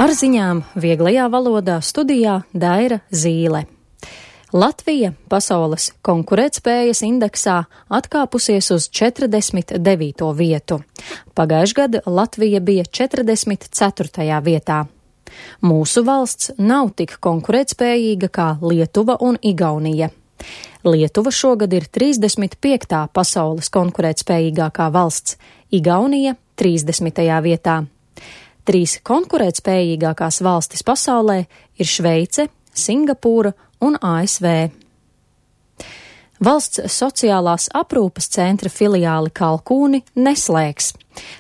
Ar ziņām vieglajā valodā studijā Daira Zīle. Latvija pasaules konkurētspējas indeksā atkāpusies uz 49. vietu. Pagājušajā gadā Latvija bija 44. vietā. Mūsu valsts nav tik konkurētspējīga kā Lietuva un Igaunija. Lietuva šogad ir 35. pasaules konkurētspējīgākā valsts, Igaunija 30. vietā. 3 konkurētspējīgākās valstis pasaulē ir Šveice, Singapūra un ASV. Valsts sociālās aprūpes centra filiāli Kalkūni neslēgs.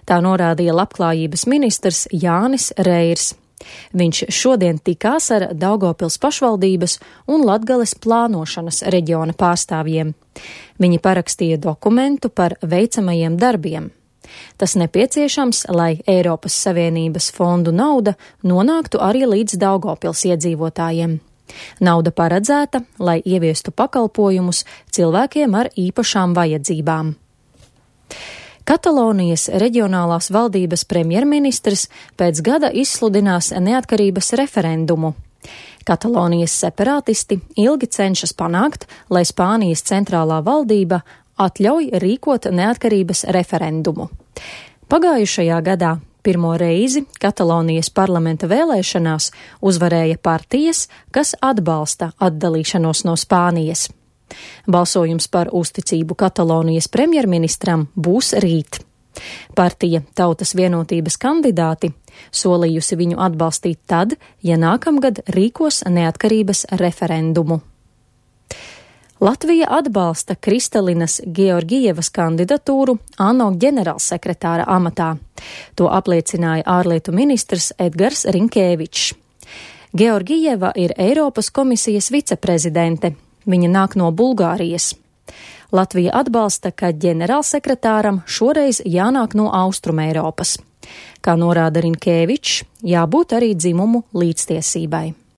Tā norādīja labklājības ministrs Jānis Reirs. Viņš šodien tikās ar Daugavpils pašvaldības un Latgales plānošanas reģiona pārstāvjiem. Viņi parakstīja dokumentu par veicamajiem darbiem. Tas nepieciešams, lai Eiropas Savienības fondu nauda nonāktu arī līdz Daugavpils iedzīvotājiem. Nauda paredzēta, lai ieviestu pakalpojumus cilvēkiem ar īpašām vajadzībām. Katalonijas reģionālās valdības premjerministrs pēc gada izsludinās neatkarības referendumu. Katalonijas separātisti ilgi cenšas panākt, lai Spānijas centrālā valdība atļauj rīkot neatkarības referendumu. Pagājušajā gadā pirmo reizi Katalonijas parlamenta vēlēšanās uzvarēja partijas, kas atbalsta atdalīšanos no Spānijas. Balsojums par uzticību Katalonijas premjerministram būs rīt. Partija Tautas vienotības kandidāti solījusi viņu atbalstīt tad, ja nākamgad rīkos neatkarības referendumu. Latvija atbalsta Kristalinas Georgievas kandidatūru ANO ģenerālsekretāra amatā. To apliecināja ārlietu ministrs Edgars Rinkēvičs. Georgieva ir Eiropas komisijas viceprezidente. Viņa nāk no Bulgārijas. Latvija atbalsta, ka ģenerālsekretāram šoreiz jānāk no Austrumeiropas. Kā norāda Rinkēvičs, jābūt arī dzimumu līdztiesībai.